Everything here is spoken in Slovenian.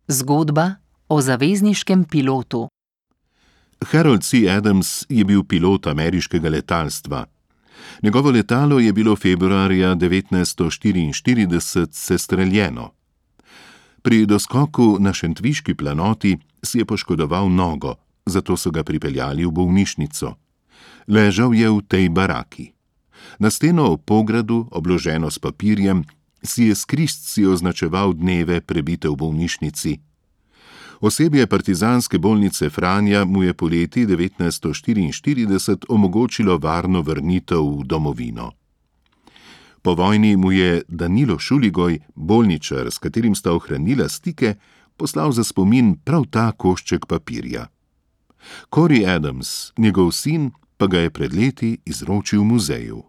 Zgodba o zavezniškem pilotu. Harold C. Adams je bil pilot ameriškega letalstva. Njegovo letalo je bilo februarja 1944 sestreljeno. Pri doskoku na Šentviški planoti si je poškodoval nogo, zato so ga pripeljali v bolnišnico. Ležal je v tej baraki. Na steno ob pogradu, obloženo s papirjem, si je s križci označeval dneve, prebite v bolnišnici. Osebje partizanske bolnice Franja mu je poleti 1944 omogočilo varno vrnitev v domovino. Po vojni mu je Danilo Šuligoj, bolničar, s katerim sta ohranila stike, poslal za spomin prav ta košček papirja. Corey Adams, njegov sin, pa ga je pred leti izročil muzeju.